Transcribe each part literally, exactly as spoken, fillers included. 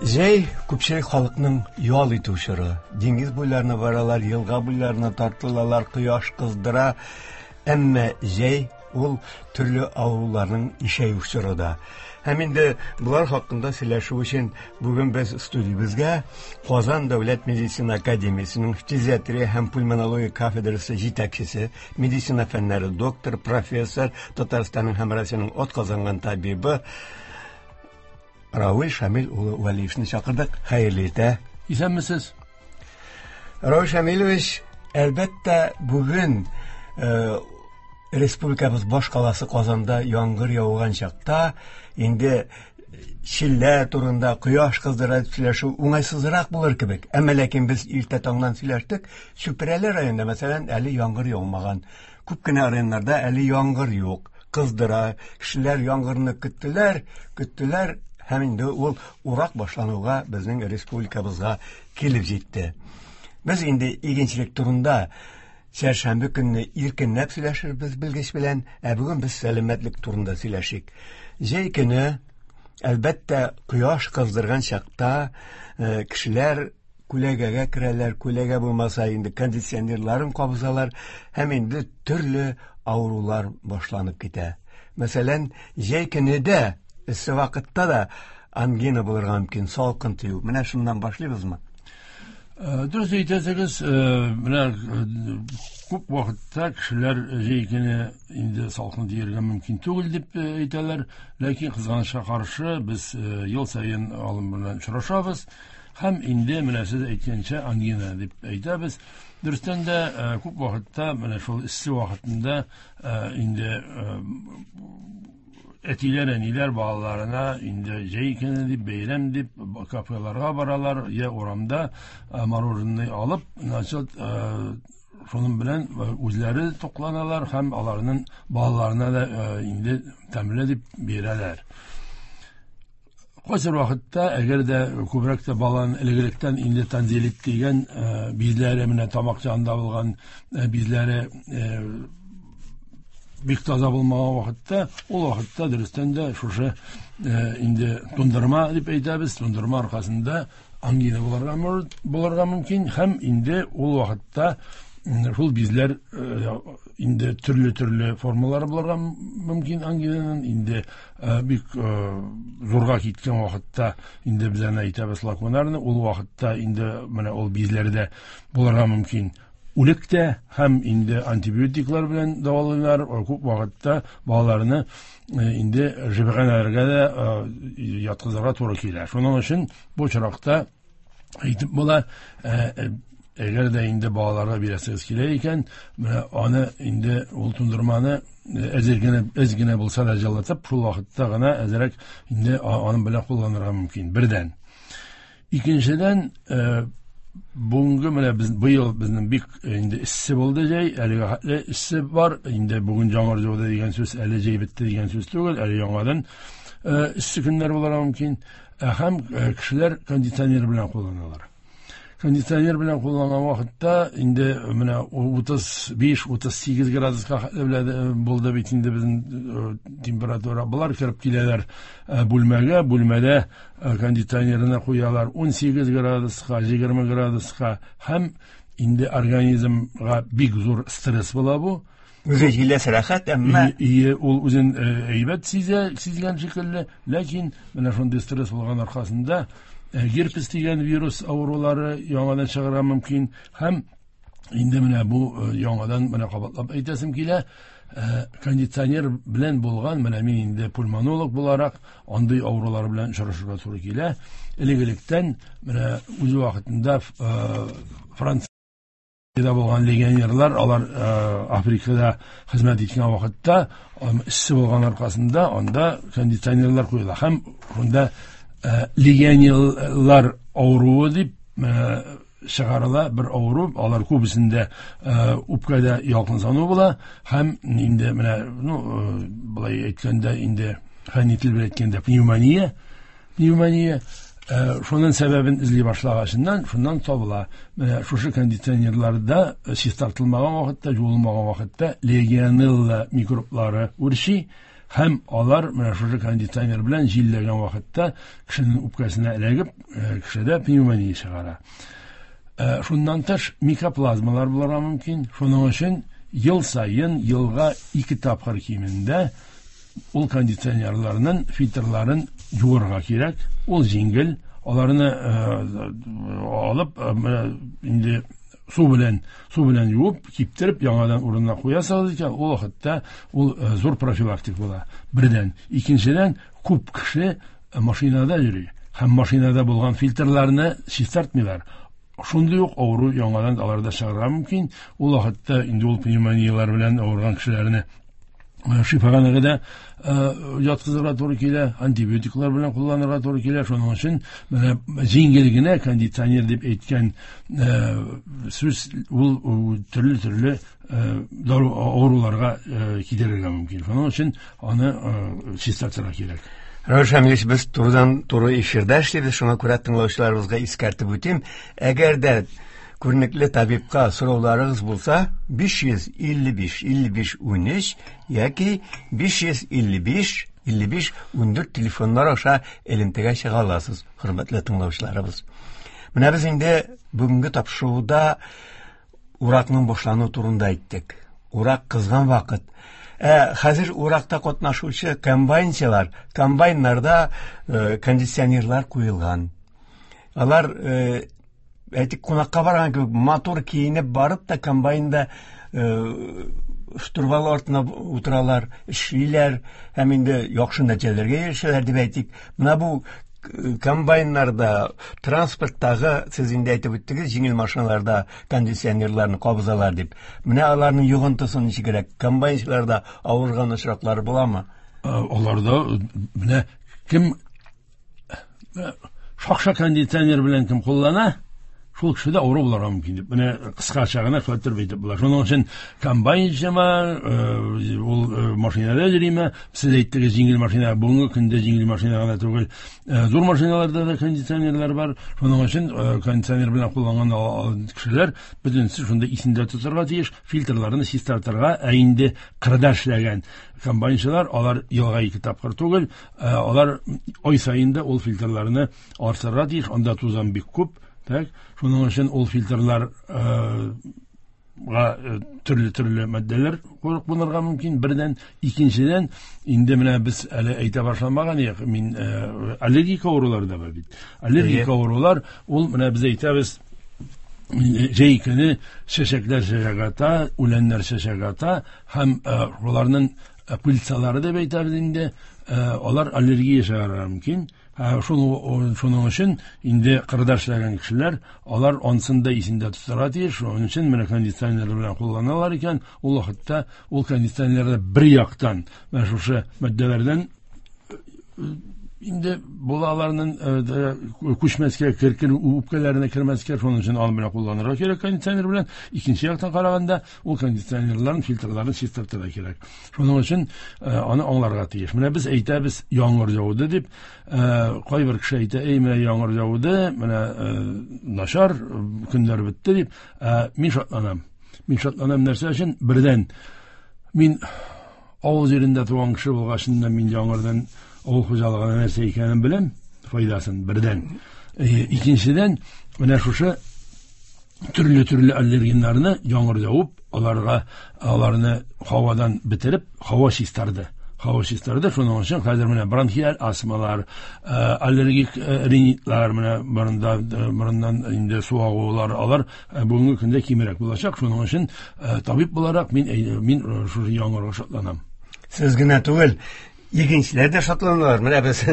Җәй күпчелек халыкның ял итү чоры. Диңгез буйларына баралар, елга буйларына тартылалар, кояш кыздыра. Әмма җәй ул төрле авыруларның ишәю чоры да. Һәм инде болар хакында сөйләшү өчен бүген без студиябезгә Казан дәүләт медицина академиясенең фтизиатрия һәм пульмонология кафедрасы җитәкчесе, медицина фәннәре доктор, профессор, Татарстанның һәм Россиянең атказанган табибы Равил Шамил улы Вәлиевны чакырдык. Хәерле иртә. Исәнмесез. Равил Шамилович, әлбәттә, бүген э, республикабыз баш каласы Казанда яңгыр яуган чакта инде челлә турында, кояш кыздыра дип сөйләшү уңайсызрак булыр кебек. Әмма ләкин без иртә таңнан сөйләштек. Чүпрәле районында, мәсәлән, әле яңгыр яумаган. Күп кенә районнарда әле яңгыр юк. Кыздыра. Кешеләр яңгырны көттеләр, көттеләр һәм инде ул урак башлануга безнең республикабызга килеп җитте. Без инде игенчелек турында чәршәмбе көнне иркенләп сөйләшербез белгеч белән, ә бүген без сәламәтлек турында сөйләшик. Җәй көне, әлбәттә, кояш кыздырган чакта, э, кешеләр күләгәгә керәләр, күләгә булмаса инде кондиционерларын кабызалар һәм инде төрле авырулар башланып китә. Мәсәлән, җәй көне дә, эссе вакытта да ангина булырга мөмкин, салкын тию. Менә шуннан башлыйбызмы? Э, Дөрес әйтәсегез, э, менә э, күп вакытта кешеләр җәй көне инде салкын тиергә мөмкин түгел дип э, әйтәләр, ләкин кызганычка каршы без э, ел саен алым белән очрашабыз һәм инде менә сез әйткәнчә ангина дип әйтәбез. Дөрестән дә, э, күп вакытта менә шул эссе вакытында, э, инде, э, әтиләр, әниләр балаларына инде җәй көне дип, бәйрәм дип кафеларга баралар, я урамда, э, мороженое алып, значит, э, шуның белән, э, үзләре тукланалар һәм аларның балаларына да, э, инде тәмле дип бирәләр. Кайсы вакытта, әгәр дә күбрәк тә баланың элегрәктән инде тонзиллит дигән, э, бизләре менә тамак янында булган, э, бизләре, э, бик таза булмаган вакытта, ул вакытта дөрестән дә шушы, э, инде тундырма дип әйтәбез, тундырма аркасында ангина булырга мөр-, булырга мөмкин һәм инде ул вакытта, м, шул бизләр, э, инде төрле-төрле формалары булырга мөмкин ангинаның, инде, э, бик, э, зурга киткән вакытта инде без аны әйтәбез лакунарны, ул вакытта инде менә ул бизләрдә булырга мөмкин үлек тә һәм инде антибиотиклар белән дәвалыйлар. Күп вакытта балаларны, э, инде шифаханәләргә дә, э, яткызырга туры килә. Шуның өчен бу очракта әйтеп була, э, э, әгәр дә инде балаларга бирәсегез килә икән, менә аны инде ул тундырманы, э, әзер генә, әз генә булса да җылытып, шул вакытта гына әзрәк инде а-, аның белән кулланырга мөмкин. Бердән. Икенчедән, э, бүгенге менә без быел безнең бик инде эссе булды җәй, әлегә хәтле эссе бар, инде бүген яңгыр яуды дигән сүз әле җәй бетте дигән сүз түгел, әле яңадан, э, эссе көннәр булырга мөмкин. Э, һәм, э, кешеләр кондиционер белән кулланалар. Кондиционер белән кулланган вакытта инде менә утыз биш, утыз сигез градуска хәтле белән, э, булды бит инде безнең, э, температура. Болар кереп киләләр, э, бүлмәгә, бүлмәдә, э, кондиционерына куялар ун сигез градуска, егерме градуска һәм инде организмга бик зур стресс була бу. Үзе җиләс рәхәт, әмма И, и, ул үзен, э, әйбәт сизә, сизгән шикелле, ләкин менә шундый стресс булган аркасында, э, герпес дигән вирус авырулары яңадан чыгарга мөмкин һәм инде менә бу, э, яңадан менә кабатлап әйтәсем килә, э, кондиционер белән булган, менә мин инде пульмонолог буларак андый авырулар белән очрашырга туры килә. Элек-электән менә үз вакытында, э, Франциядә булган легионерлар, алар, э, Африкада хезмәт иткән вакытта, э, эссе булган аркасында анда кондиционерлар куела һәм шунда, э, легионерлар авыруы дип, э, чыгарыла бер авыру, алар күбесендә, э, үпкәдә ялкынсыну була һәм инде менә, ну, э, былай әйткәндә инде фәнни тел белән әйткәндә пневмония, пневмония, э, шуның сәбәбен эзли башлагачыннан шуннан табыла. Менә шушы кондиционерларда чистартылмаган вакытта, жуылмаган вакытта легионелла микроблары үрчи Һәм алар менә шушы кондиционер белән җилләгән вакытта кешенең үпкәсенә эләгеп, кешедә пневмония чыгара. Шуннан тыш микоплазмалар булырга мөмкин. Шуның өчен ел саен елга ике тапкыр кимендә ул кондиционерларның фильтрларын юырга кирәк. Ул җиңел, аларны алып инде су белән су белән юып, киптереп яңадан урынына куясыз икән, ул вакытта ул зур профилактик була. Бердән, икенчедән, күп кеше машинада йөри һәм машинада булган фильтрларны чистартмыйлар. Шундый ук авыру яңадан аларда чыгарга мөмкин. Ул вакытта инде ул пневмонияләр белән авырган кешеләрне шифаханәгә дә яткызырга туры килә, антибиотиклар белән кулланырга туры килә. Шуның өчен менә җиңел генә кондиционер дип әйткән сүз ул төрле-төрле авыруларга китерергә мөмкин. Шуның өчен аны чистартырга кирәк. Равил Шамилевич, без турыдан туры эфирда эшлибез, шуңа күрә тыңлаучыларыбызга искәртеп үтим. Әгәр дә күренекле табибка сорауларыгыз булса, биш йөз илле биш илле биш унөч яки биш йөз илле биш илле биш ундүрт телефоннар аша элемтәгә чыга аласыз, хөрмәтле тыңлаучыларыбыз. Менә без инде бүгенге тапшыруда уракның башлануы турында әйттек. Урак кызган вакыт. Ә хәзер уракта катнашучы комбайнчылар, комбайннарда э, кондиционерлар куелган. Алар э, әйтик, кунакка барган кебек матур киенеп барып та комбайнда э, штурвал артына утыралар, эшлиләр һәм инде яхшы нәтиҗәләргә ирешәләр дип әйтик. Менә бу комбайннарда, транспорттагы, сез инде әйтеп үттегез, җиңел машиналарда кондиционерларны кабызалар дип. Менә аларның йогынтысы ничегрәк? Комбайнчыларда авырган очраклары буламы? Аларда менә кем шакша кондиционер белән кем куллана, шул кеше дә авыру булырга мөмкин дип. Менә кыскача гына шулай итеп әйтеп була. Шуның өчен комбайнчымы, ул машинада йөриме, сез әйттегез җиңел машина, бүгенге көндә җиңел машина гына түгел, зур машиналарда да кондиционерлар бар. Шуның өчен кондиционер белән кулланган кешеләр бөтенесе шунда исендә тотарга тиеш, фильтрларны чистартырга. Ә инде кырда эшләгән комбайнчылар, алар елга ике тапкыр түгел, алар ай саен да ул фильтрларны арттырырга тиеш. Анда тузан бик күп. Так, шуның өчен ул фильтрлар төрле-төрле матдәләр кулланырга мөмкин. Бердән, икенчедән, инде менә без әле әйтә башламаган идек, мин аллергик авырулар да бар бит. Аллергик авырулар ул менә без әйтәбез, җәй көне чәчәкләр чәчәк ата, үләннәр чәчәк ата һәм шуларның пыльцалары дип әйтәбез инде, алар аллергия чыгарырга мөмкин. Шуның өчен инде кырда эшләгән кешеләр, алар ансын да исендә тотарга тиеш. Шуның өчен менә кондиционер белән кулланалар икән, ул вакытта ул кондиционерда бер яктан менә шушы матдәләрдән инде булаларның күчмәскә, кер-кер үпкәләренә кермәскә, шуның өчен аны белән кулланырга кирәк кондиционер белән. Икенче яктан караганда, ул кондиционерларын, фильтрларын чистартырга кирәк. Шуның өчен аны аңларга тиеш. Менә без әйтәбез, яңгыр яуды дип, кайбер кеше әйтә, эй, менә яңгыр яуды, менә начар көннәр бетте дип. Мин шатланам. Мин шатланам нәрсә өчен? Бердән, мин авыл җирендә туган кеше булгачыннан мин яңгырдан авыл хуҗалыгына нәрсә икәнен беләм, файдасын бердән. Икенчедән, менә шушы төрле-төрле аллергеннарны яңгыр явып, аларга аларны һавадан бетереп, һава чистарды. Һава чистарды. Шуның өчен хәзер менә бронхиаль астмалар, аллергик ринитлар, менә борында, борыннан инде су агулар, алар бүгенге көндә кимрәк булачак. Шуның өчен табиб буларак мин мин шушы яңгырга шатланам. Сез генә түгел, игенчеләр дә шатланалар. Менә без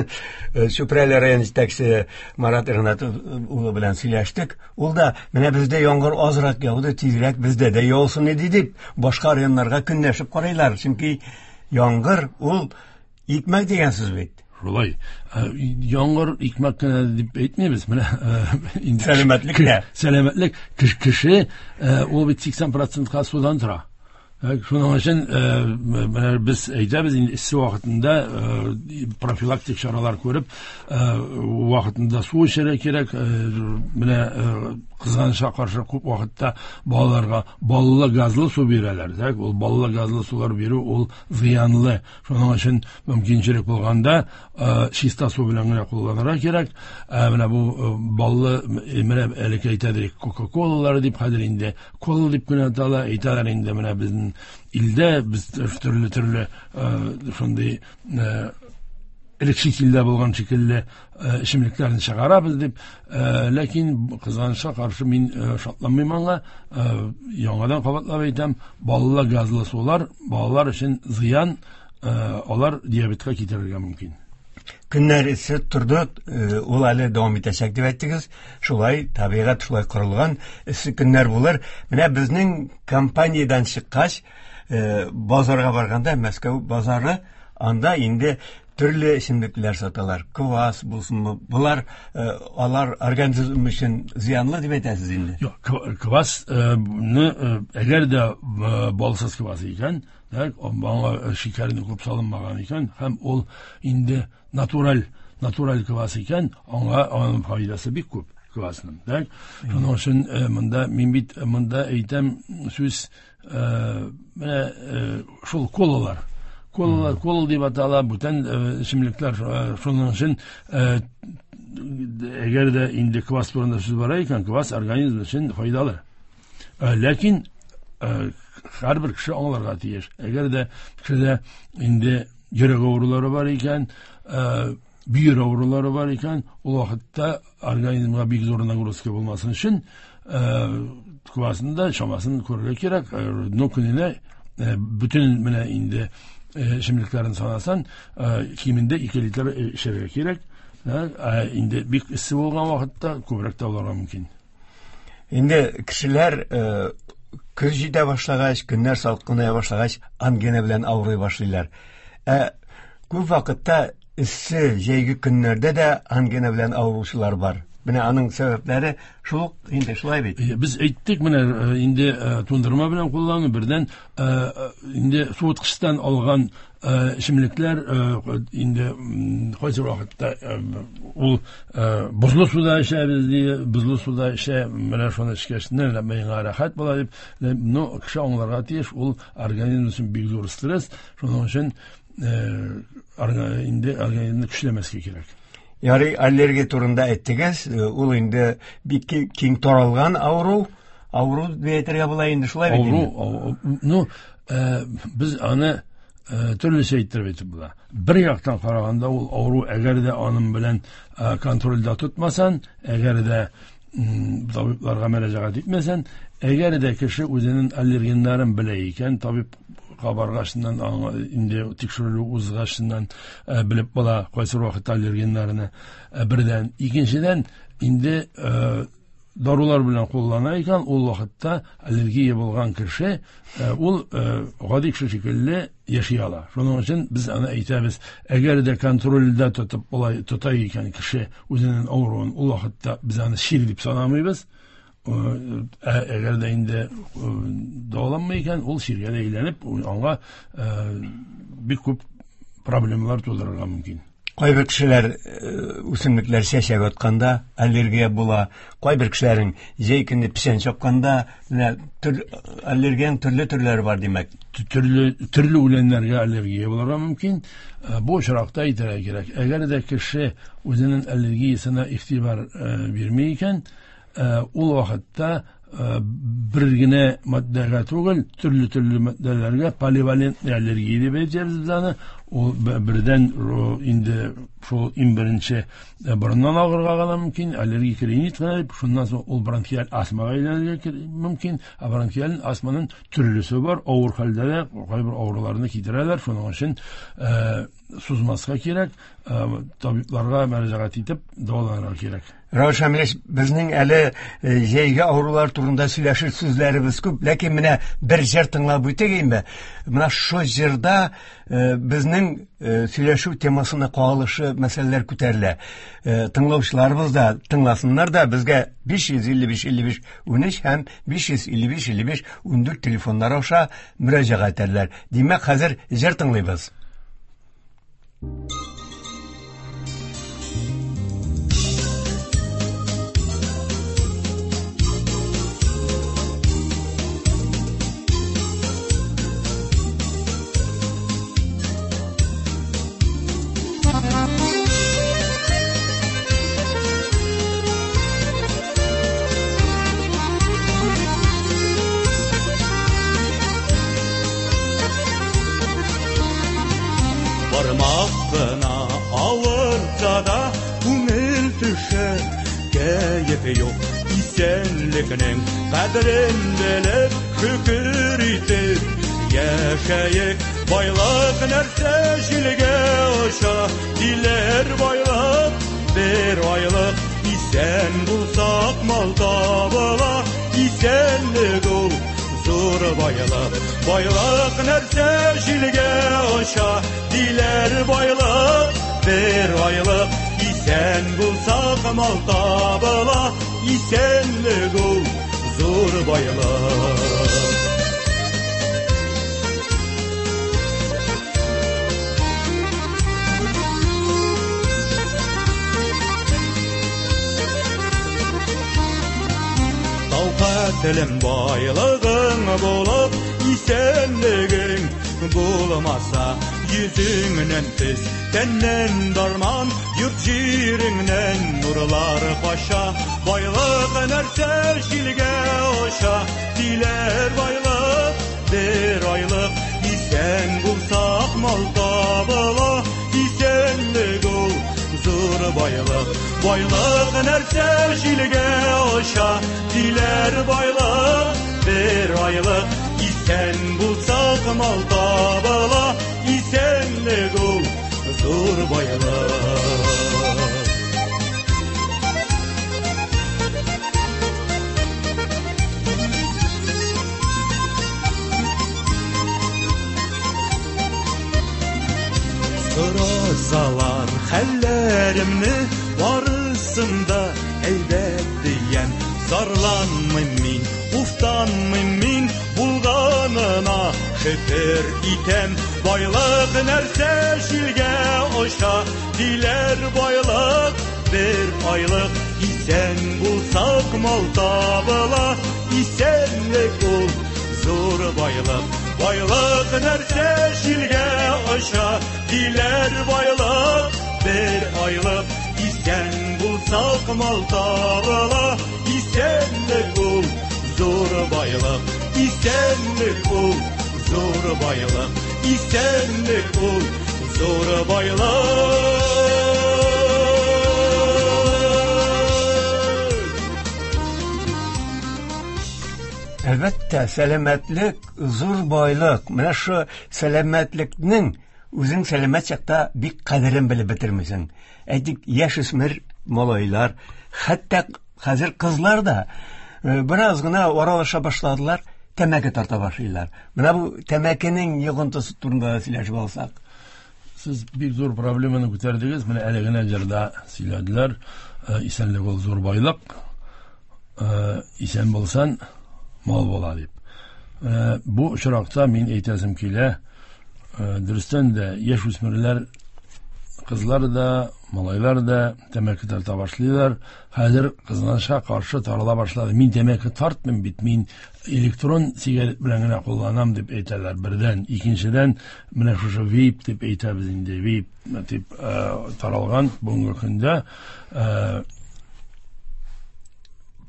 Чүпрәле район җитәкчесе Марат Игнат улы белән сөйләштек. Ул да менә бездә яңгыр азрак яуды, тизрәк бездә дә яусын иде дип башка районнарга көнләшеп карыйлар. Чөнки яңгыр ул икмәк дигән сүз бит. Шулай. Яңгыр икмәк кенә дип әйтмибез. Менә инде сәламәтлек тә. Сәламәтлек кеше ул бит сиксән процентка судан тора. Шуның өчен менә без әйтәбез инде эссе вакытында профилактик чаралар күреп, вакытында су эчәргә кирәк, менә Кызганычка каршы күп вакытта балаларга баллы газлы су бирәләр. Так, ул баллы газлы сулар бирү ул зыянлы. Шуның өчен мөмкинчелек булганда чиста су белән генә кулланырга кирәк. Менә бу баллы, менә элек әйтәдек Кока-Колалар дип, хәзер инде кола дип кенә атала, әйтәләр инде менә безнең илдә без төрле-төрле шундый элек чит илдә булган шикелле эчемлекләрне чыгарабыз дип, ләкин кызганычка каршы мин шатланмыйм аңа. Яңадан кабатлап әйтәм, баллы газлы сулар балалар өчен зыян, алар диабетка китерергә мөмкин. Көннәр эссе торды, ул әле дәвам итәчәк дип әйттегез. Шулай табигать шулай корылган, эссе көннәр булыр. Менә безнең компаниядән чыккач, базарга барганда, Мәскәү базары, анда инде төрле эчемлекләр саталар. Квас булсынмы, булар, алар организм өчен зыянлы дип әйтәсез инде. Юк, квасны, әгәр дә балсыз квас икән, аңа шикәрне күп салынмаган икән, һәм ул инде натураль, натураль квас икән, аңа аның файдасы бик күп квасның. Так, шуның өчен монда мин бит монда әйтәм сүз, менә шул колалар. Колалар, кола дип атала, бүтән эчемлекләр. Шуның өчен әгәр дә инде квас турында сүз бара икән, квас организм өчен файдалы. Ләкин һәрбер кеше аңларга тиеш. Әгәр дә кешедә инде йөрәк авырулары бар икән, бөер авырулары бар икән, ул вакытта организмга бик зур нагрузка булмасын өчен квасны да чамасын күрергә кирәк. Но көненә бөтен менә инде эчемлекләрен санасан, кимендә ике литр эчәргә кирәк. Инде бик эссе булган вакытта күбрәк тә булырга мөмкин. Инде кешеләр көз җитә башлагач, көннәр салкыная башлагач, ангина белән авырый башлыйлар. Ә күп вакытта эссе җәйге көннәрдә дә ангина белән авыручылар бар. Менә аның сәбәпләре шул инде, шулай бит. Без әйттек, менә инде тундырма белән куллану, бердән инде суыткычтан алган эчемлекләр инде кайсы вакытта ул бозлы суда эчәбез ди, бозлы суда эчә, менә шуны эчкәч, миңа рәхәт була дип. Но кеше аңларга тиеш, ул организм өчен бик зур стресс, шуның өчен инде организмны көчләмәскә кирәк. Ярый, аллергия турында әйттегез, ул инде бик киң таралган авыру, авыру дип әйтергә була инде, шулай бит инде? Авыру, ну, без аны төрлечә әйттереп әйтеп була. Бер яктан караганда ул авыру, әгәр дә аның белән контрольдә тотмасан, әгәр дә табибларга мөрәҗәгать итмәсән, әгәр дә кеше үзенең аллергеннарын белә икән, табиб баргачыннан, инде тикшерү узгачыннан белеп була кайсы вакытта аллергеннарны, бердән. Икенчедән, инде дарулар белән куллана икән, ул вакытта аллергия булган кеше ул гади кеше шикелле яши ала. Шуның өчен без аны әйтәбез, әгәр дә контрольдә тотып болай тота икән кеше үзенең авыруын, ул вакытта без аны чир дип санамыйбыз. Әгәр дә инде дәваланмый икән, ул чиргә дә әйләнеп, аңа бик күп проблемалар тудырырга мөмкин. Кайбер кешеләр үсемлекләр чәчәк атканда аллергия була, кайбер кешеләрнең җәй көне печән чапканда, менә аллергиянең төрле төрләре бар, димәк. Төрле, төрле үләннәргә аллергия булырга мөмкин. Бу очракта әйтергә кирәк, әгәр дә кеше үзенең аллергиясенә игътибар бирми икән, ул вакытта бер генә матдәгә түгел, төрле-төрле матдәләргә поливалентный аллергия дип әйтәбез без аны. Ул бердән инде шул иң беренче борыннан агырга гына мөмкин, аллергик ринит кына дип, шуннан соң ул бронхиаль астмага әйләнергә мөмкин. Ә бронхиаль астманың төрлесе бар, авыр хәлдә дә кайбер авыруларны китерәләр. Шуның өчен сузмаска кирәк, табибларга мөрәҗәгать итеп дәваланырга кирәк. Равил Шамилевич, безнең әле җәйге авырулар турында сөйләшер сүзләребез күп, ләкин менә бер җыр тыңлап үтик инде. Менә шул җырда безнең сөйләшү темасына кагылышы мәсьәләләр күтәрелә. Тыңлаучыларыбыз да тыңласыннар да, безгә биш йөз илле биш илле биш унөч һәм биш йөз илле биш илле биш ундүрт телефоннары аша мөрәҗәгать итәрләр. Димәк, хәзер җыр тыңлыйбыз. Бармак кына авыртса да күңел төшә, кәеф юк. Исәнлекнең кадерен белеп, шөкер итеп яшәйек. Байлык нәрсә җилгә оча, диләр байлык бер айлык. Исән булсак мал табыла, исәнлек ул зур байлык. Байлык нәрсә җилгә оча, диләр байлык бер айлык. Исән булсак мал табыла, исәнлек ул зур байлык. Телем байлыгың булып, исәнлегең булмаса, йөзеңнән төс, тәннән дарман, йорт җиреңнән нурлар кача. Байлык нәрсә җилгә оча, диләр байлык бер айлык. Исән булсак мал табыла, исәнлек ул зур байлык. Байлык нәрсә җилгә оча, диләр байлык бер айлык. Исән булсак мал табыла, исәнлек ул зур байлык. Сорасалар хәлләремне, барысын да әйбәт диям. Зарланмыйм мин, уфтанмыйм мин, булганына шөкер итәм. Байлык нәрсә җилгә оча, диләр байлык бер айлык. Исән булсак мал табыла, исәнлек ул зур байлык. Байлык нәрсә җилгә оча, диләр байлык бер айлык. Исән булсак мал табыла, исәнлек ул зур байлык. Исәнлек ул зур байлык. Исәнлек ул зур байлык. Әлбәттә, сәламәтлек зур байлык. Менә шу сәламәтлекнең үзең сәламәт чакта бик кадерен белеп бетермисең. Әйтик, яшүсмер малайлар, хәтта хәзер кызлар да бераз гына аралаша башладылар, тәмәке тарта башлыйлар. Менә бу тәмәкенең йогынтысы турында да сөйләшеп алсак. Сез бик зур проблеманы күтәрдегез. Менә әле генә җырда сөйләделәр. Исәнлек ул зур байлык. Исән булсан мал була дип. Бу очракта мин әйтәсем килә, дөрестән дә яшүсмерләр, кызлар да, малайлар да тәмәке тарта башлыйлар. Хәзер кызганычка каршы тарала башлады. Мин тәмәке тартмыйм бит, мин электрон сигарет белән генә кулланам дип әйтәләр бердән. Икенчедән, менә шушы вейп дип әйтәбез инде, вейп дип таралган бүгенге көндә.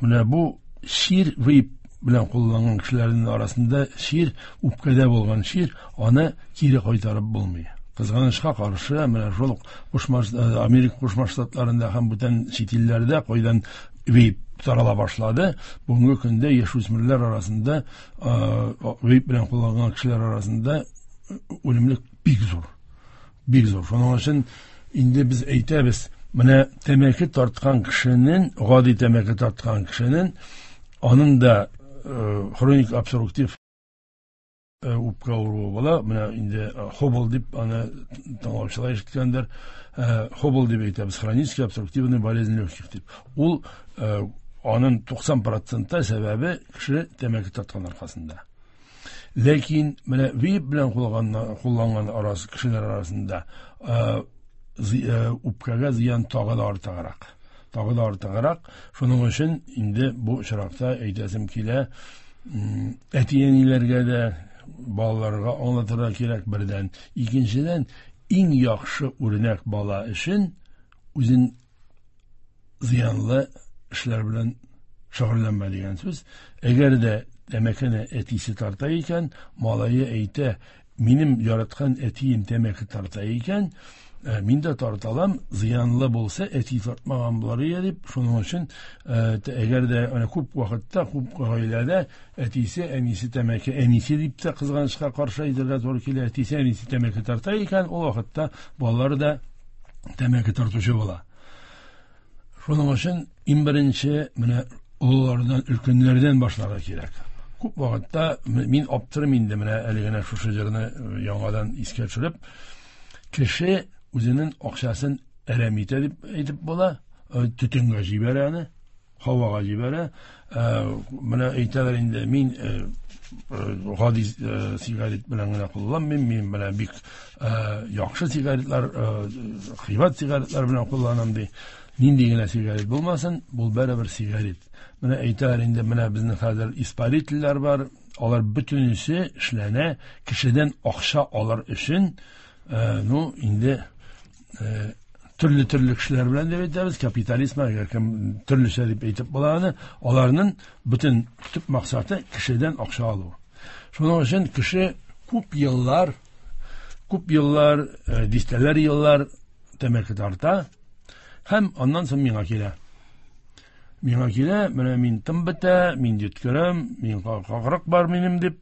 Менә бу чир, вейп белән кулланган кешеләрнең арасында чир, үпкәдә булган чир, аны кире кайтарып булмый. Кызганычка каршы, менә шул Кушма, Америка Кушма Штатларында һәм бүтән чит илләрдә кайдан вейп тарала башлады. Бүгенге көндә яшүсмерләр арасында, вейп белән кулланган кешеләр арасында үлемлек бик зур. Бик зур. Шуның өчен инде без әйтәбез, менә тәмәке тарткан кешенең, гади тәмәке тарткан кешенең, аның да хроник обструктив үпкә авыруы була. Менә инде хобл дип аны тыңлаучылар ишеткәндер. Хобл дип әйтәбез, хронический обструктивный болезнь легких дип. Ул аның туксан процентта сәбәбе кеше тәмәке тарткан аркасында. Ләкин менә вейп белән кулланган арасы кешеләр арасында үпкәгә зыян тагы да артыграк. Тагы да артыграк. Шуның өчен инде бу очракта әйтәсем килә, әти-әниләргә дә, балаларга аңлатырга кирәк бердән. Икенчедән, иң яхшы үрнәк бала өчен үзен зыянлы эшләр белән шөгыльләнмә дигән сүз. Әгәр дә тәмәкене әтисе тарта икән, малае әйтә, Минем яраткан әтием тәмәке тарта икән, мин дә тарта алам, зыянлы булса, әти тартмаган булар иде дип, шуның өчен әгәр дә менә күп вакытта, күп гаиләдә әтисе, әнисе тәмәке, әнисе дип тә кызганычка каршы әйтергә туры килә, әтисе, әнисе тәмәке тарта икән, ул вакытта балалар да тәмәке тартучы була. Шуның өчен иң беренче менә олылардан, өлкәннәрдән башларга кирәк. Күп вакытта мин аптырым инде менә әле генә шушы җырны яңадан искә төшереп, кеше үзенең акчасын әрәм итә дип әйтеп була, төтенгә җибәрә аны, һавага җибәрә. Менә әйтәләр инде, мин гади сигарет белән генә кулланмыйм, мин менә бик яхшы сигаретлар, кыйбат сигаретлар белән кулланам ди. Нинди генә сигарет булмасын, бу барыбер сигарет. Менә әйтәләр инде, менә безнең хәзер испарительләр бар, алар бөтенесе эшләнә кешедән акча алыр өчен. Ну, инде төрле-төрле кешеләр белән дип әйтәбез, капитализм, кем төрлечә дип әйтеп була аны, аларның бөтен төп максаты кешедән акча алу. Шуның өчен кеше күп еллар, күп еллар, дистәләр еллар тәмәке тарта һәм аннан соң миңа килә. Миңа килә, менә мин тын бетә, мин йөткерәм, мин какрык бар минем дип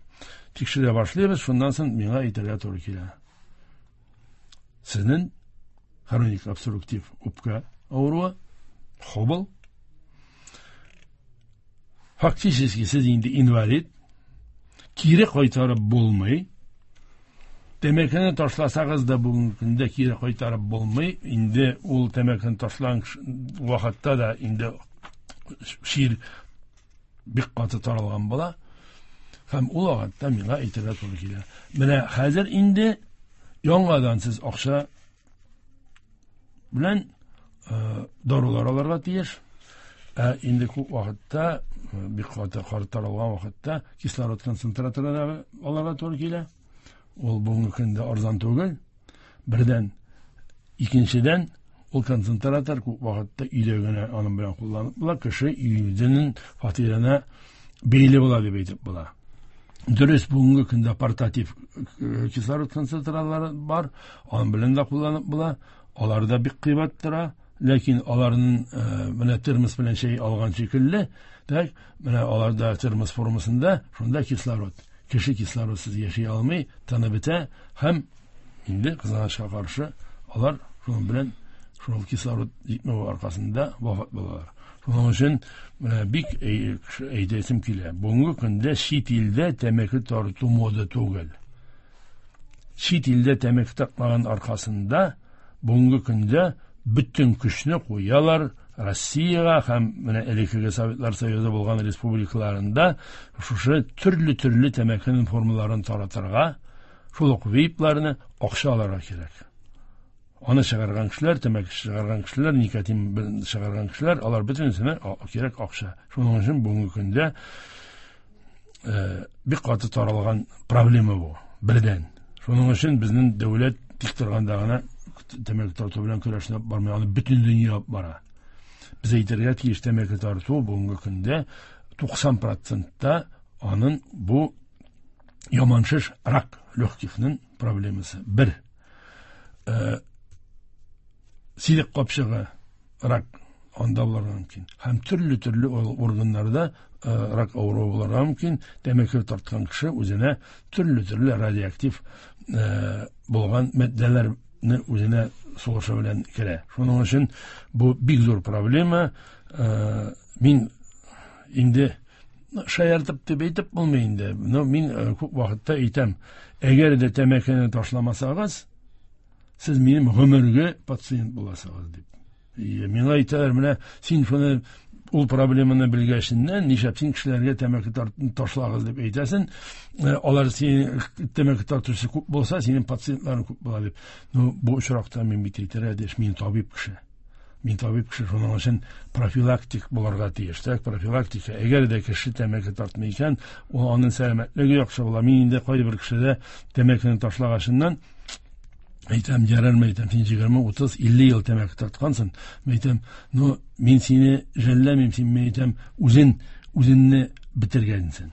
тикшерә башлыйбыз, шуннан соң миңа әйтергә туры килә. Сезнең хроник обструктив үпкә авыруы, хобл. Фактически сез инде инвалид, кире кайтарып булмый. Тәмәкене ташласагыз да бүгенге көндә кире кайтарып булмый. Инде ул тәмәкене ташлаган вакытта да инде чир бик каты таралган була. Һәм ул вакытта миңа әйтергә туры килә. Менә хәзер инде яңадан сез акча белән дарулар алырга тиеш. Ә инде күп вакытта, бик каты таралган вакытта кислород концентраторы алырга туры килә. Ул бүгенге көндә арзан түгел. Бердән, икенчедән, ул концентратор күп вакытта өйдә генә аның белән кулланып була, кеше үзенең фатирына бәйле була дип әйтеп була. Дөрес, бүгенге көндә портатив кислород концентраторлары бар, аның белән дә кулланып була. Алар да бик кыйбат тора, ләкин аларның менә термос белән чәй алган шикелле, так, менә аларда термос формасында шунда кислород. Кеше кислородсыз яши алмый, тыны бетә һәм инде кызганычка каршы алар шуның белән шул кислород җитмәү аркасында вафат булалар. Шуның өчен менә бик әйтәсем килә. Бүгенге көндә чит илдә тәмәке тарту мода түгел. Чит илдә тәмәке тартмаган аркасында бүгенге көндә бөтен көчне куялар Россиягә һәм менә элеккеге Советлар Союзы булган республикаларында шушы төрле-төрле тәмәкенең формаларын таратырга, шул ук вейпларны акча алырга кирәк. Аны чыгарган кешеләр, тәмәке чыгарган кешеләр, никотин чыгарган кешеләр, алар бөтенесенә кирәк акча. Шуның өчен бүгенге көндә бик каты таралган проблема бу, бердән. Шуның өчен безнең дәүләт тик торганда гына тәмәке тарту белән көрәшне бармый, аны бөтен дөнья бара. Без әйтергә тиеш, тәмәке тарту бүгенге көндә туксан процентта аның бу яман шеш, рак легкихның проблемасы. Бер, сидек капчыгы рак анда булырга мөмкин. Һәм төрле-төрле органнарда рак авыруы булырга мөмкин. Тәмәке тарткан кеше үзенә төрле-төрле радиоактив булган матдәләрне үзенә сулышы белән керә. Шуның өчен бу бик зур проблема. Мин инде шаяртып дип әйтеп булмый инде. Но мин күп вакытта әйтәм, әгәр дә тәмәкене ташламасагыз, сез минем гомергә пациент буласыгыз дип. Миңа әйтәләр, менә син шуны ул проблеманы белгәченнән нишләп син кешеләргә тәмәке ташлагыз дип әйтәсең, алар син тәмәке тартучы күп булса, синең пациентларың күп була дип. Ну, бу очракта мин бит әйтергә тиеш, мин табиб кеше. Мин табиб кеше, шуның өчен профилактик булырга тиеш. Так, профилактика. Әгәр дә кеше тәмәке тартмый икән, ул аның сәламәтлеге яхшы була. Мин инде кайбер кешедә тәмәкене ташлагачыннан әйтәм, ярар, әйтәм, син егерме, утыз, илле ел тәмәке тарткансың. Әйтәм, ну, мин сине жәлләмим, син, әйтәм, үзен, үзеңне бетергәнсең.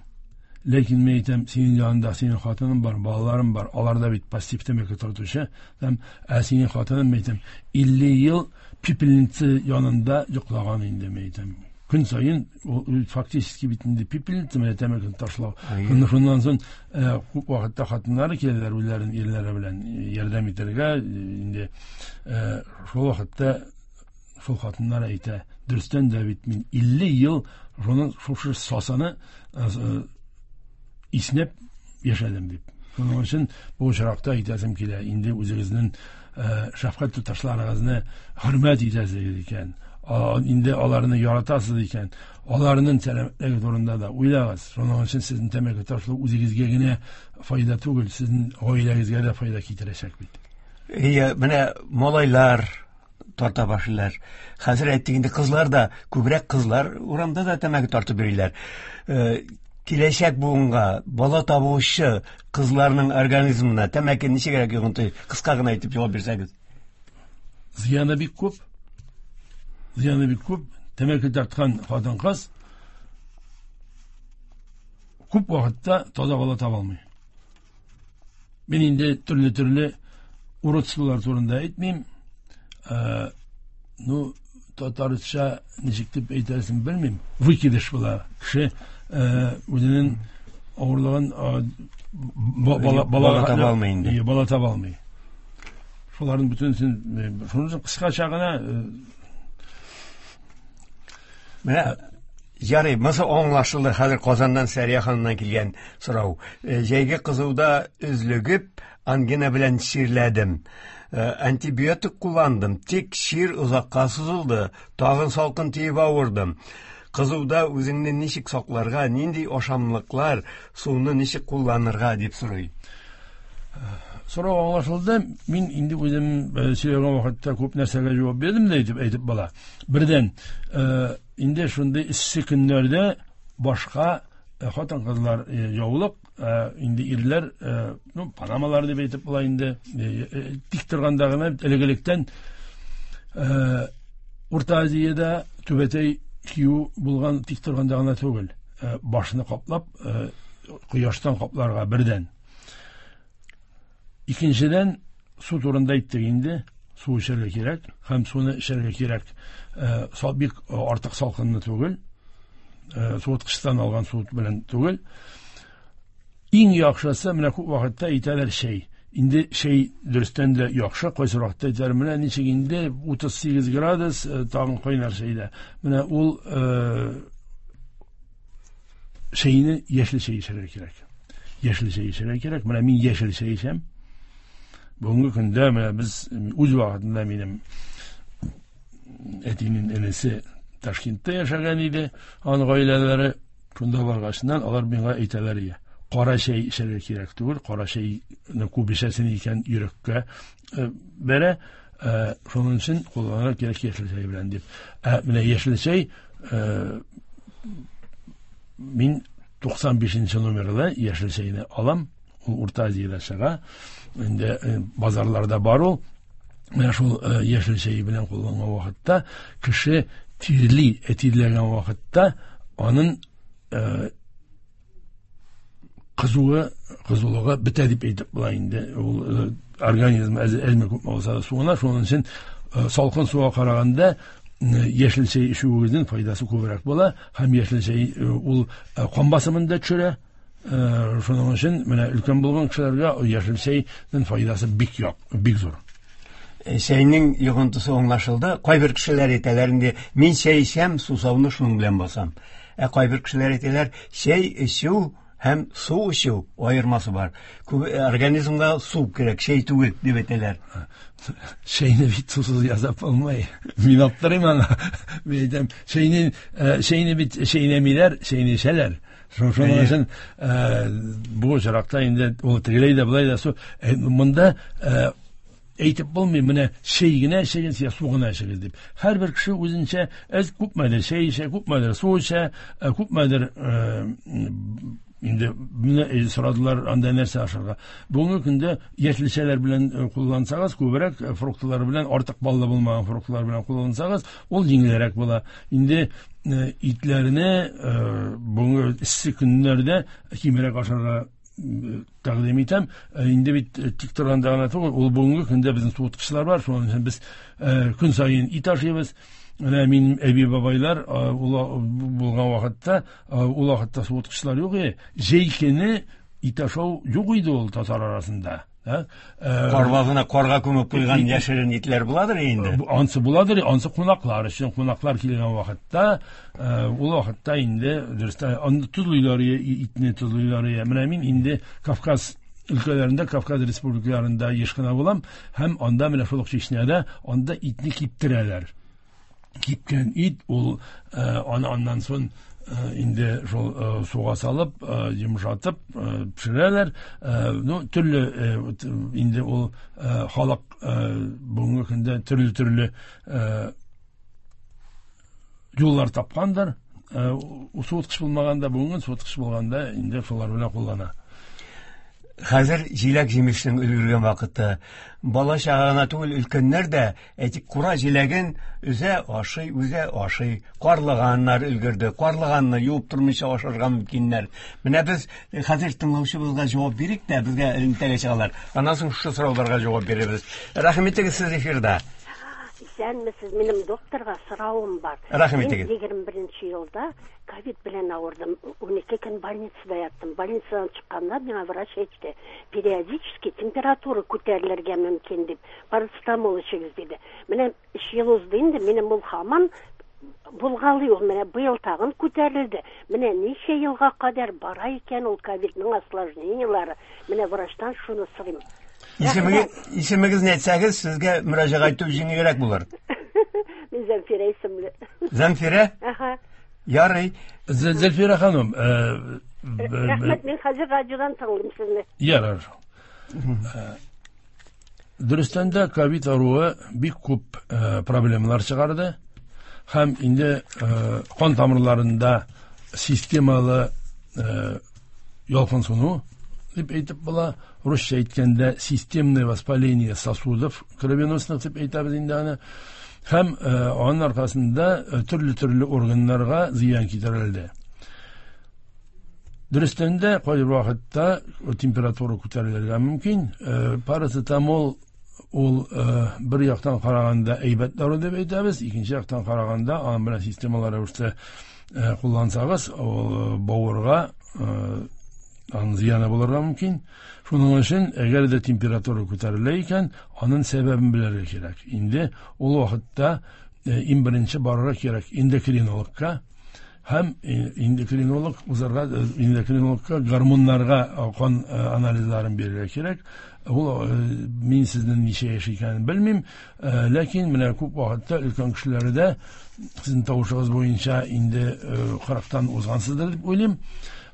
Ләкин мин әйтәм, синең янында синең хатының бар, балаларың бар, алар да бит пассив тәмәке тартучы. Һәм ә синең хатының, мин әйтәм, илле ел пепельница янында йоклаган инде, мин әйтәм. Көн саен ул фактически бит инде пепельница менә тәмәкене ташлау. Шуннан соң күп вакытта хатыннары киләләр үзләрен ирләре белән ярдәм итәргә, инде шул вакытта шул хатыннар әйтә, дөрестән дә бит мин илле ел шуның шушы сасаны иснәп яшәдем дип. Шуның өчен бу очракта әйтәсем килә, инде үзегезнең шәфкать туташларыгызны хөрмәт итәсез икән, инде аларны яратасыз икән, аларның сәламәтлеге турында да уйлагыз. Шуның өчен сезнең тәмәке ташлау үзегезгә генә файда түгел, сезнең гаиләгезгә дә файда китерәчәк бит. Ия, менә малайлар тарта башлыйлар. Хәзер әйттек инде, кызлар да, күбрәк кызлар урамда да тәмәке тартып йөриләр. Киләчәк буынга, бала табучы кызларның организмына тәмәке ничегрәк йогынты? Кыска гына әйтеп җавап бирсәгез. Зыяны бик күп. Зыяны бик күп. Тәмәке тарткан хатын-кыз күп вакытта таза бала таба алмый. Мин инде төрле-төрле уродстволар турында әйтмим. Ну, татарча ничек дип әйтәсен белмим. Выкидыш була. Кеше үзенең авырлыгын бала таба алмый инде. Бала таба алмый. Шуларның бөтенесен, шуның өчен кыскача гына. Менә ярый, монысы аңлашылды. Хәзер Казаннан Сәрия ханымнан килгән сорау. Җәйге кызуда өзлегеп, ангина белән чирләдем. Антибиотик кулландым, тик чир озакка сузылды. Тагын салкын тиеп авырдым. Кызуда үзеңне ничек сакларга, нинди ашамлыклар, суны ничек кулланырга дип сорый. Сорау аңлашылды. Мин инде үзем сөйләгән вакытта күп нәрсәгә җавап бирдем дә әйтеп, әйтеп бала. Бердән, инде шундый эссе көннәрдә башка хатын-кызлар яулык, инде ирләр, ну, панамалар дип әйтеп була инде, тик торганда гына элек-электән Урта Азиядә түбәтәй кию булган, тик торганда гына түгел, башны каплап, кояштан капларга бердән. Икенчедән, су турында әйттек инде, су эчәргә кирәк, һәм суны эчәргә кирәк, бик артык салкынны түгел, суыткычтан алган су белән түгел. Иң яхшысы, менә күп вакытта әйтәләр чәй. Инде чәй дөрестән дә яхшы, кайсы вакытта әйтәләр, менә ничек инде утыз сигез градус, тагын кайнар чәйдә. Менә ул чәйне яшел чәй эчәргә кирәк. Яшел чәй эчәргә кирәк. Менә мин яшел чәй эчәм. Бүгенге көндә менә без үз вакытында минем әтинең энесе Ташкентта яшәгән иде, аның гаиләләре шунда баргачыннан алар миңа әйтәләр иде. Кара чәй эчәргә кирәк түгел, кара чәйне күп эчәсең икән йөрәккә бәрә, шуның өчен кулланырга кирәк яшел чәй белән дип. Ә менә яшел чәй мин туксан бишенче номерлы яшел чәйне алам, ул Урта Азиядә чыга, инде базарларда бар ул. Менә шул яшел чәй белән кулланган вакытта кеше тирли, тирләгән вакытта аның кызуы, кызулыгы бетә дип әйтеп була инде. Ул организм әзме күпме булса да суына, шуның өчен салкын суга караганда яшел чәй эчүегезнең файдасы күбрәк була, һәм яшел чәй ул кан басымын да төшерә. Шуның өчен менә өлкән булган кешеләргә яшел чәйнең файдасы бик як, бик зур. Чәйнең йогынтысы аңлашылды. Кайбер кешеләр әйтәләр инде, мин чәй эчәм, сусауны шуның белән басам. Ә кайбер кешеләр әйтәләр, чәй эчү һәм су эчү аермасы бар. Күп организмга су кирәк, чәй түгел дип әйтәләр. Чәйне бит сусыз ясап булмый. Мин аптырыйм аңа. Мин әйтәм, чәйне, чәйне бит чәйнәмиләр, чәйне эчәләр. Шуның өчен бу очракта инде ул тегеләй дә болай да су. Монда әйтеп булмый, менә чәй генә эчегез я су гына эчегез дип. Һәрбер кеше үзенчә әз күпмедер чәй эчә, күпмедер су эчә, күпмедер Инде менә сорадылар анда нәрсә ашарга. Бүгенге көндә яшелчәләр белән куллансагыз, күбрәк фруктлар белән, артык баллы булмаган фруктлар белән куллансагыз, ул җиңелрәк була. Инде итләрне бүгенге эссе көннәрдә кимрәк ашарга тәкъдим итәм. Инде бит тик торганда гына түгел, ул бүгенге көндә безнең суыткычлар бар, шуның өчен без көн саен ит ашыйбыз. Менә минем әби бабайлар булган вакытта, ул вакытта суыткычлар юк иде. Җәй көне ит ашау юк иде ул татар арасында. Карвазына карга күмеп куйган яшерен итләр буладыр инде. Ансы буладыр, ансы кунаклар өчен, кунаклар килгән вакытта, ул вакытта инде дөрестә аны тозлыйлар, итне тозлыйлар. Менә мин инде Кавказ өлкәләрендә, Кавказ республикаларында еш кына булам һәм анда менә шул ук Чечняда анда итне киптерәләр. Кипкән ит ул аны аннан соң инде шул суга салып, йомшатып пешерәләр. Ну, төрле инде ул халык бүгенге көндә төрле-төрле юллар тапкандыр. Суыткыч булмаганда, бүгенге суыткыч булганда инде шулар белән куллана. Хәзер җиләк-җимешнең өлгергән вакыты. Бала чага гына түгел, өлкәннәр дә, әйтик, кура җиләген үзе ашый, үзе ашый. Карлыганнар өлгерде. Карлыганны юып тормыйча ашарга мөмкиннәр. Менә без хәзер тыңлаучыбызга җавап бирик тә, безгә элемтәгә чыгалар. Аннан соң шушы сорауларга җавап бирербез. Рәхим итегез, сез эфирда. Исәнмесез, минем докторга соравым бар. Рәхим итегез. Мин егерме беренче елда ковид белән авырдым. Ун ике көн больницада яттым. Больницадан чыкканда миңа врач әйтте, периодически температура күтәрелергә мөмкин дип, парацетамол эчегез диде. Менә өч ел узды инде, минем ул һаман булгалый ул, менә быел тагын күтәрелде. Менә ничә елга кадәр бара икән ул ковидның осложнениеләре. Менә врачтан шуны сорыйм. Исемегез, исемегезне әйтсәгез, сезгә мөрәҗәгать итү җиңелрәк булыр. Мин Зәмфирә исемле. Зәмфирә? Аһа. Ярый. Зәмфирә ханым, рәхмәт, мин хәзер радиодан тыңлыйм сезне. Ярар. Дөрестән дә ковид авыруы бик күп проблемалар чыгарды. Һәм инде кан тамырларында системалы ялкынсыну дип әйтеп була. Русча әйткәндә системное воспаление сосудов кровеносных дип әйтәбез инде аны. Һәм аның аркасында төрле-төрле органнарга зыян китерелде. Дөрестән дә кайбер вакытта температура күтәрелергә мөмкин. Парацетамол ул бер яктан караганда әйбәт дару дип әйтәбез, икенче яктан караганда аның белән системалы рәвештә куллансагыз, ул бавырга аның зыяны булырга мөмкин. Шуның өчен, әгәр дә температура күтәрелә икән, аның сәбәбен белергә кирәк. Инде ул вакытта иң беренче барырга кирәк эндокринологка һәм эндокринолог узарга, эндокринологка гормоннарга кан анализларын бирергә кирәк. Ул мин сезнең ничә яшь икәнен белмим, ләкин менә күп вакытта өлкән кешеләрдә сезнең тавышыгыз буенча инде кырыктан узгансыздыр дип уйлыйм.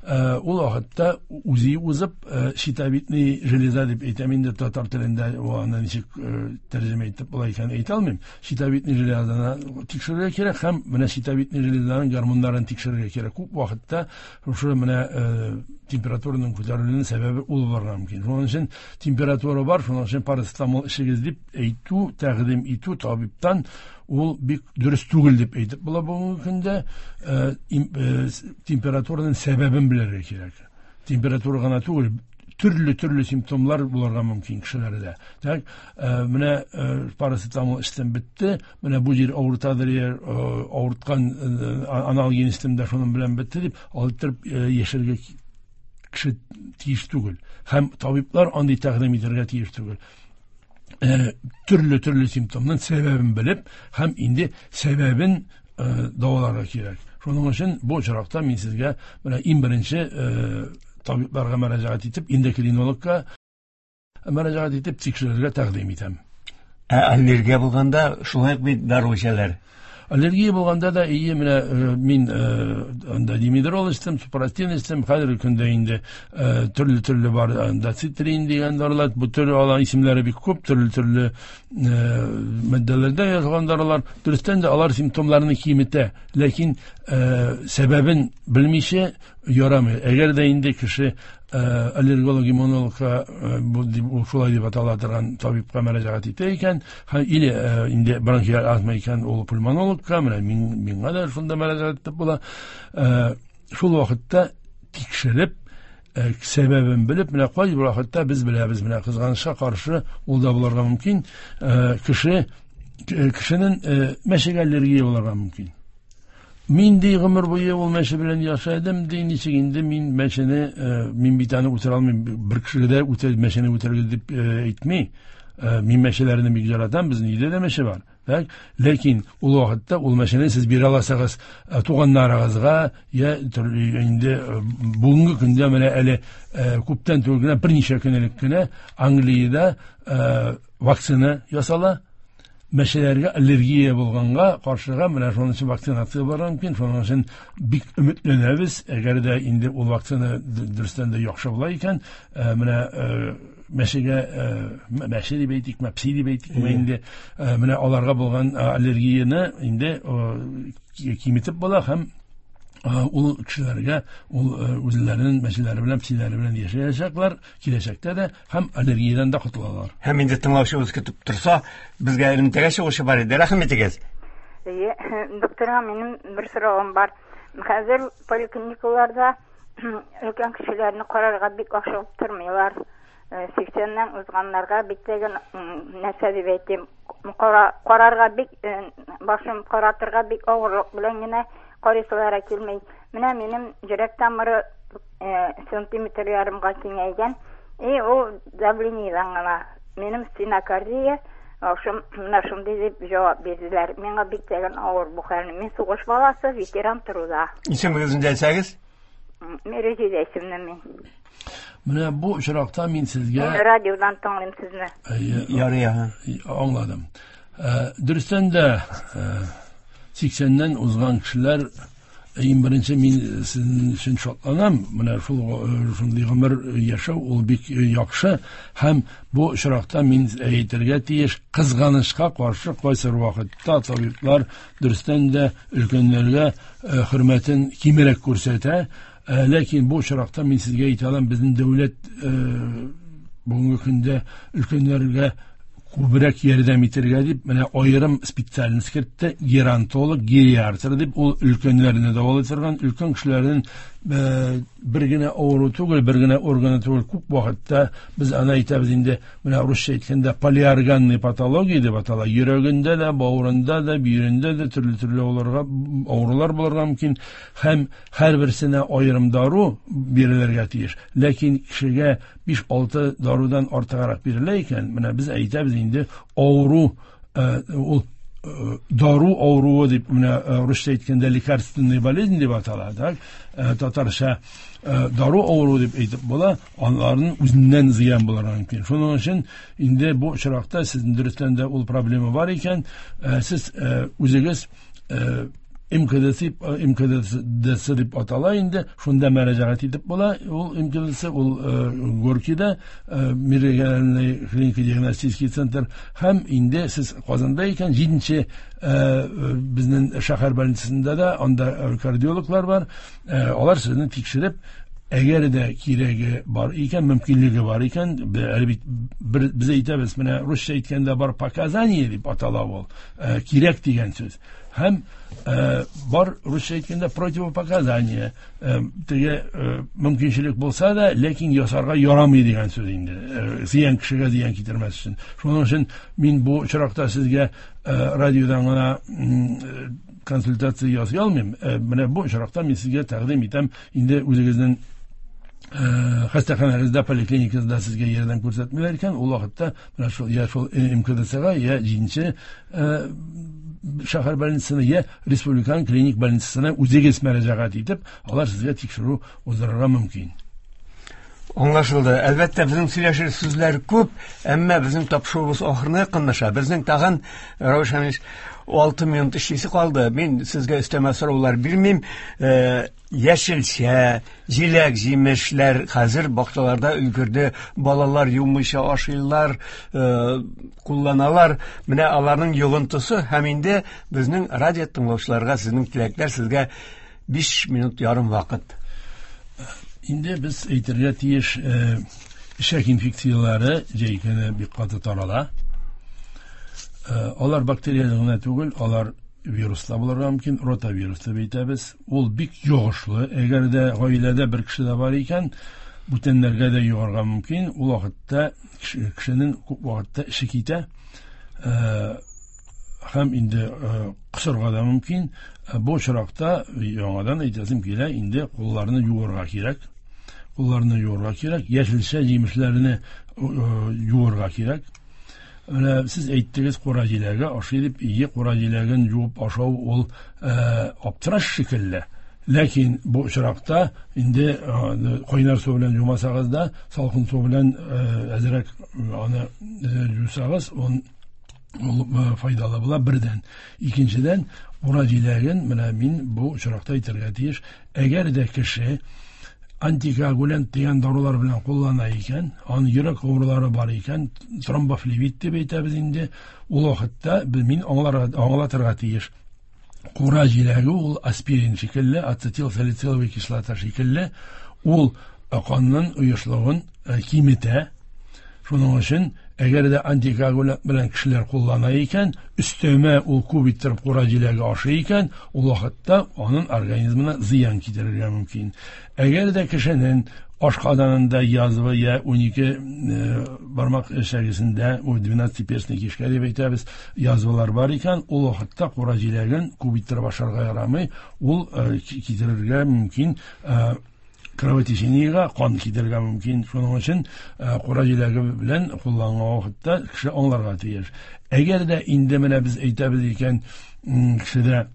Ул вакытта үзе узып щитовидный железа дип әйтәм инде татар телендә, аны ничек тәрҗемә итеп була икәнен әйтә алмыйм. Щитовидный железаны тикшерергә кирәк һәм менә щитовидный железаның гормоннарын тикшерергә кирәк. Күп вакытта шушы менә температураның күтәрелүенең сәбәбе ул булырга мөмкин. Шуның өчен температура бар, шуның өчен парацетамол эчегез дип әйтү, тәкъдим итү табибтан ул бик дөрес түгел дип әйтеп була бүгенге көндә. Температураның сәбәбен белергә кирәк. Температура гына түгел, төрле-төрле симптомлар булырга мөмкин кешеләрдә. Так, менә парацетамол эчтем бетте, менә бу җир авыртадыр, авырткан аналгин эчтем дә шуның белән бетте дип алып яшәргә кеше тиеш түгел. Һәм табиблар андый тәкъдим итәргә тиеш түгел. Төрле-төрле симптомның сәбәбен белеп һәм инде сәбәбен дәваларга кирәк. Шуның өчен бу очракта мин сезгә менә иң беренче табибларга мөрәҗәгать итеп, эндокринологка мөрәҗәгать итеп тикшерергә тәкъдим итәм. Ә аллергия булганда шулай ук бит дару эчәләр. Аллергия булганда да ие, менә мин анда димедрол эчтем, супрастин эчтем, хәзерге көндә инде төрле-төрле бар, анда цитрин дигән дарулар, бу төрле алар исемнәре бик күп, төрле-төрле матдәләрдә язылган дарулар. Дөрестән дә алар симптомнарны киметә, ләкин сәбәбен белмичә ярамый. Әгәр дә инде кеше аллерголог, иммунологка, бу шулай дип атала торган табибка мөрәҗәгать итә икән, или инде бронхиаль астма икән, ул пульмонологка, менә миңа да шунда мөрәҗәгать итеп була. Шул вакытта тикшереп, сәбәбен белеп, менә кайбер вакытта без беләбез, менә кызганычка каршы ул да булырга мөмкин, кеше кешенең мәчегә аллергия булырга мөмкин. Мин ди гомер буе ул мәче белән яшәдем, ди, ничек инде мин мәчене, мин бит аны үтерә алмыйм, бер кешегә дә үтер, мәчене үтерергә дип әйтми. Мин мәчеләрне бик яратам, безнең өйдә дә мәче бар. Так? Ләкин ул вакытта ул мәчене сез бирә аласагыз туганнарыгызга, я инде бүгенге көндә менә әле күптән түгел генә, берничә көн элек кенә Англиядә вакцина ясала. Мәчеләргә аллергия булганга каршыга менә шуның өчен вакцинация барырга мөмкин. Шуның өчен бик өметләнәбез, әгәр дә инде ул вакцина дөрестән дә яхшы була икән, менә мәчегә, мәче дип әйтик, пси дип әйтик, инде менә аларга булган аллергияне инде киметеп була һәм ул кешеләргә ул үзләренең мәчеләре белән, псиләре белән яшәячәкләр киләчәктә дә һәм аллергиядән дә котылалар. Һәм инде тыңлаучыбыз көтеп торса, безгә элемтәгә чыгучы бар иде. Рәхим итегез. Әйе, докторга минем бер соравым бар. Хәзер поликлиникаларда өлкән кешеләрне карарга бик ашыгып тормыйлар. Сиксәннән узганнарга бик тәген нәрсә дип әйтим, карарга бик башым каратырга бик авырлык белән генә карыйсылары килмей. Менә минем йөрәк тамыры сантиметр ярымга киңәйгән. И ул давлениедән гына. Минем стенокардия, менә шундый дип җавап бирделәр. Миңа бик тәген авыр бу хәл. Мин сугыш баласы, ветеран труда. Исемегезне әйтсәгез? Мерезидә исемле мин. Менә бу очракта мин сезгә радиодан тыңлыйм сезне. Ярый, аңладым. Дөрестән дә сиксәннән узган кешеләр, иң беренче мин сезнең өчен шатланам. Менә шул шундый гомер яшәү ул бик яхшы һәм бу очракта мин әйтергә тиеш, кызганычка каршы кайсыр вакытта табиблар дөрестән дә өлкәннәргә хөрмәтен кимрәк күрсәтә. Ләкин бу очракта мин сезгә әйтә алам, безнең дәүләт бүгенге көндә өлкәннәргә күбрәк ярдәм итәргә дип менә аерым специальность кертте, геронтолог, гериатр дип, ул өлкәннәрне дәвалый торган, өлкән кешеләрнең бер генә авыру түгел, бер генә органы түгел, күп вакытта без аны әйтәбез инде, менә русча әйткәндә полиорганный патология дип атала, йөрәгендә дә, бавырында да, бөерендә дә төрле-төрле авырулар булырга мөмкин һәм һәрберсенә аерым дару бирелергә тиеш. Ләкин кешегә биш-алты дарудан артыграк бирелә икән, менә без әйтәбез инде авыру ул дару авыруы дип, менә русча әйткәндә лекарственная болезнь дип атала, так? Татарча дару авыруы дип әйтеп була, аларның үзеннән зыян булырга мөмкин. Шуның өчен инде бу очракта сезнең дөрестән дә ул проблема бар икән, сез үзегез эм ка дэ эм ка дэ дип атала инде, шунда мөрәҗәгать итеп була. Ул эм ка дэ ул Горкида Межрегиональный клинико-диагностический центр һәм инде сез Казанда икән, җиденче безнең шәһәр больницасында да анда кардиологлар бар. Алар сезне тикшереп, әгәр дә кирәге бар икән, мөмкинлеге бар икән, без әйтәбез, менә русча әйткәндә бар показание дип атала ул, кирәк дигән сүз. Һәм бар русча әйткәндә противопоказание, теге мөмкинчелек булса да, ләкин ясарга ярамый дигән сүз инде, зыян кешегә зыян китермәс өчен. Шуның өчен мин бу очракта сезгә радиодан гына консультация ясый алмыйм. Менә бу очракта мин сезгә тәкъдим итәм, инде үзегезнең хастаханәгездә, поликлиникагызда сезгә ярдәм күрсәтмиләр икән, ул вакытта менә шул я шул эм ка дэ га, я җиденче шәһәр больницасына, я республиканың клиник больницасына үзегез мөрәҗәгать итеп, алар сезгә тикшерү уздырырга мөмкин. Аңлашылды. Әлбәттә, безнең сөйләшер сүзләр күп, әмма безнең тапшыруыбыз ахырына якынлаша. Безнең тагын, Равиш Хәмидович, алты минут эшлисе калды. Мин сезгә өстәмә сораулар бирмим. Яшелчә, җиләк, җимешләр хәзер бакчаларда өлгерде. Балалар юмыйча ашыйлар, кулланалар. Менә аларның йогынтысы һәм инде безнең радио тыңлаучыларга сезнең теләкләр, сезгә биш минут ярым вакыт. Инде без әйтергә тиеш, эчәк инфекцияләре җәй көне бик каты тарала. Алар бактерияле генә түгел, алар вируслар булырга мөмкин, ротавирус дип әйтәбез. Ул бик йогышлы. Әгәр дә гаиләдә бер кеше дә бар икән, бүтәннәргә дә йогарга мөмкин. Ул вакытта кешенең күп вакытта эше китә. Һәм инде кысырга да мөмкин. Бу очракта яңадан әйтәсем килә, инде кулларны юырга кирәк. Кулларны юырга кирәк, яшелчә җимешләрне юырга кирәк. Менә сез әйттегез, кура җиләге ашый дип, ие, кура җиләген юып ашау ул аптыраш шикелле. Ләкин бу очракта инде кайнар су белән юмасагыз да, салкын су белән әзрәк аны юсагыз, ул файдалы була бердән. Икенчедән, кура җиләген менә мин бу очракта әйтергә тиеш, әгәр дә кеше антикоагулянт дигән дарулар белән куллана икән, аның йөрәк авырулары бар икән, тромбофлебит дип әйтәбез инде, ул вакытта мин аңлатырга тиеш. Кура җиләге ул аспирин шикелле, ацетилсалициловый кислота шикелле, ул канның оешлыгын киметә. Шуның өчен, әгәр дә антикоагулянт белән кешеләр куллана икән, өстәмә ул күп иттереп кура җиләге ашый икән, ул вакытта аның организмына зыян китерергә мөмкин. Әгәр дә кешенең ашказанында язва я унике бармак эчәгесендә, ул двенадцатиперстный кишка дип әйтәбез, язвалар бар икән, ул вакытта кура җиләген күп иттереп ашарга ярамый, ул китерергә мөмкин кровотечениега, кан китерергә мөмкин. Шуның өчен кура җиләге белән кулланган вакытта кеше аңларга тиеш. Әгәр дә инде менә без әйтәбез икән, кешедә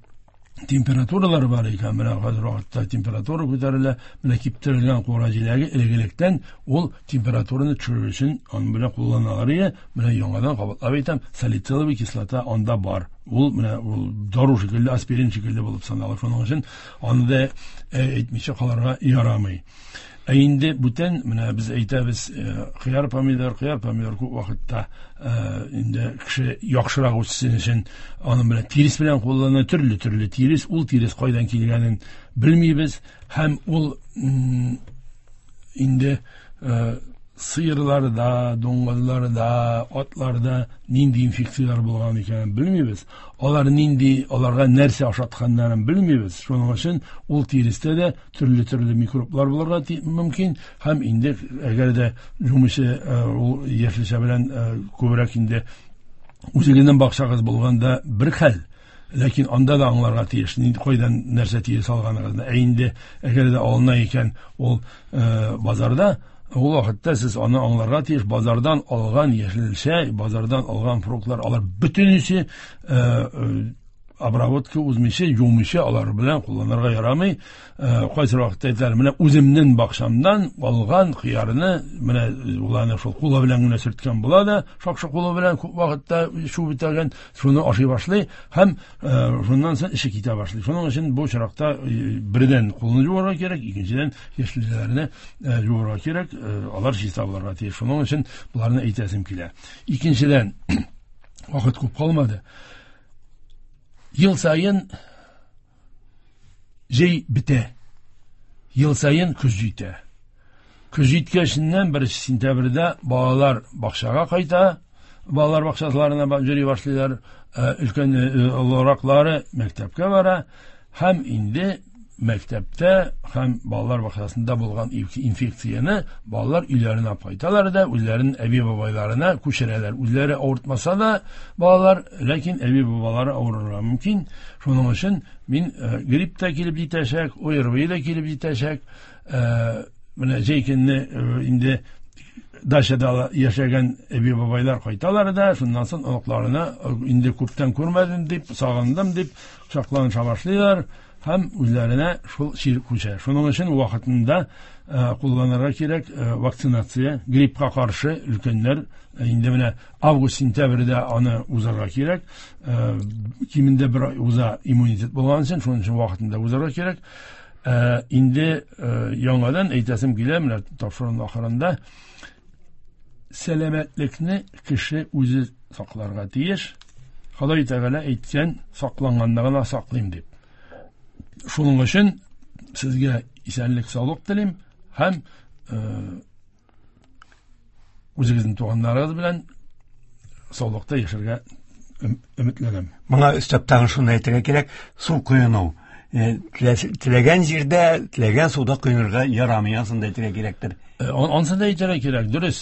температуралар бар икән, менә хәзер вакытта температура күтәрелә, менә киптерелгән кура җиләге элек-электән ул температураны төшерү өчен аны белән кулланалар иде. Менә яңадан кабатлап әйтәм, салициловый кислота анда бар. Ул менә ул дару шикелле, аспирин шикелле булып санала. Шуның өчен аны да әйтмичә калырга ярамый. Ә инде бүтән менә без әйтәбез, кыяр помидор, кыяр помидор күп вакытта инде кеше яхшырак үссен өчен аның белән тирес белән куллана, төрле-төрле тирес, ул тирес кайдан килгәнен белмибез һәм ул инде сыерларда, дуңгызларда, атларда нинди инфекцияләр булган икәнен белмибез. Алар нинди, аларга нәрсә ашатканнарын белмибез. Шуның өчен ул тирестә дә төрле-төрле микроблар булырга мөмкин һәм инде әгәр дә жумышы ул яшелчә белән күбрәк инде үзегезнең бакчагыз булганда бер хәл. Ләкин анда да аңларга тиеш, нинди кайдан нәрсә тирес алганыгызны. Ә инде әгәр дә алына икән ул базарда, ул вакытта сез аны аңларга тиеш, базардан алган яшелчә, базардан алган фруктлар, алар бөтенесе обработка узмыйча, юмыйча алар белән кулланырга ярамый. Кайсы вакытта әйтәләр, менә үземнең бакчамнан алган кыярны, менә уларны шул кулы белән генә сөрткән була да, шакшы кулы белән күп вакытта шуып бетергән, шуны ашый башлый һәм шуннан соң эше китә башлый. Шуның өчен бу очракта бердән кулны юарга кирәк, икенчедән яшелчәләрне юарга кирәк, алар чиста булырга тиеш. Шуның өчен боларны әйтәсем килә. Икенчедән, вакыт күп калмады. Ел сайын җәй бетә, ел сайын көз җитә. Көз җиткәченнән беренче сентябрьдә балалар бакчага кайта, балалар бакчаларына йөри башлыйлар, өлкән олыраклары мәктәпкә бара һәм инде мәктәптә һәм балалар бакчасында булган инфекцияне балалар өйләренә кайталар да үзләренең әби-бабайларына күчерәләр. Үзләре авыртмаса да балалар, ләкин әби-бабалары авырырга мөмкин. Шуның өчен мин грипп та килеп җитәчәк, ОРВИ да килеп җитәчәк. Менә җәй көнне инде дачада яшәгән әби-бабайлар кайталар да, шуннан соң оныкларына инде күптән күрмәдем дип, сагындым дип кочакланыша башлыйлар һәм үзләренә шул чир күчә. Шуның өчен вакытында кулланырга кирәк вакцинация, гриппка каршы өлкәннәр инде менә август-сентябрьдә аны узарга кирәк. Кимендә бер ай уза иммунитет булган өчен, шуның өчен вакытында узарга кирәк. Инде яңадан әйтәсем килә, менә тапшыруның ахырында сәламәтлекне кеше үзе сакларга тиеш. Ходай Тәгалә әйткән, сакланганда гына саклыйм дип. Шуның өчен Сезгә исәнлек, саулык телим һәм үзегезнең туганнарыгыз белән саулыкта яшәргә өметләнәм. Моңа өстәп тагын шуны әйтергә кирәк, су коену. Теләгән җирдә, теләгән суда коенырга ярамый, ансын да әйтергә кирәктер. Ансын да әйтергә кирәк, дөрес.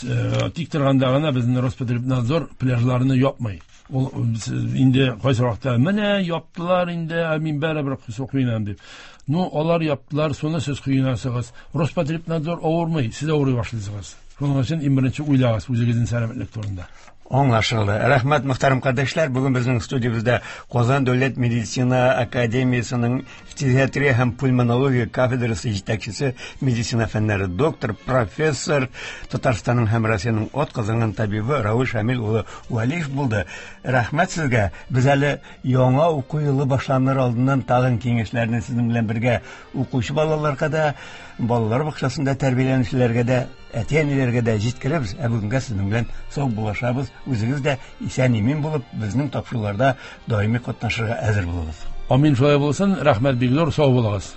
Тик торганда гына безнең Роспотребнадзор пляжларны япмый. Ул инде кайсы вакытта менә яптылар инде, ә мин барыбер су коенам дип. Ну, алар яптылар, суны сез коенасыгыз. Роспотребнадзор авырмый, сез авырый башлыйсыгыз. Шуның өчен иң беренче уйлагыз үзегезнең сәламәтлек турында. Аңлашылды. Рәхмәт, мөхтәрәм кардәшләр. Бүген безнең студиябездә Казан дәүләт медицина академиясенең фтизиатрия һәм пульмонология кафедрасы җитәкчесе, медицина фәннәре доктор, профессор, Татарстанның һәм Россиянең атказанган табибы Равил Шамил улы Вәлиев булды. Рәхмәт сезгә. Без әле яңа уку елы башланыр алдыннан тагын киңәшләрне сезнең белән бергә укучы балаларга да, балалар бакчасында тәрбияләнүчеләргә дә, әти-әниләргә дә җиткерәбез. Ә бүгенгә сезнең белән сау булашабыз. Үзегез дә исән-имин булып, безнең тапшыруларда даими катнашырга әзер булыгыз. Амин, шулай булсын. Рәхмәт бик зур, сау булыгыз.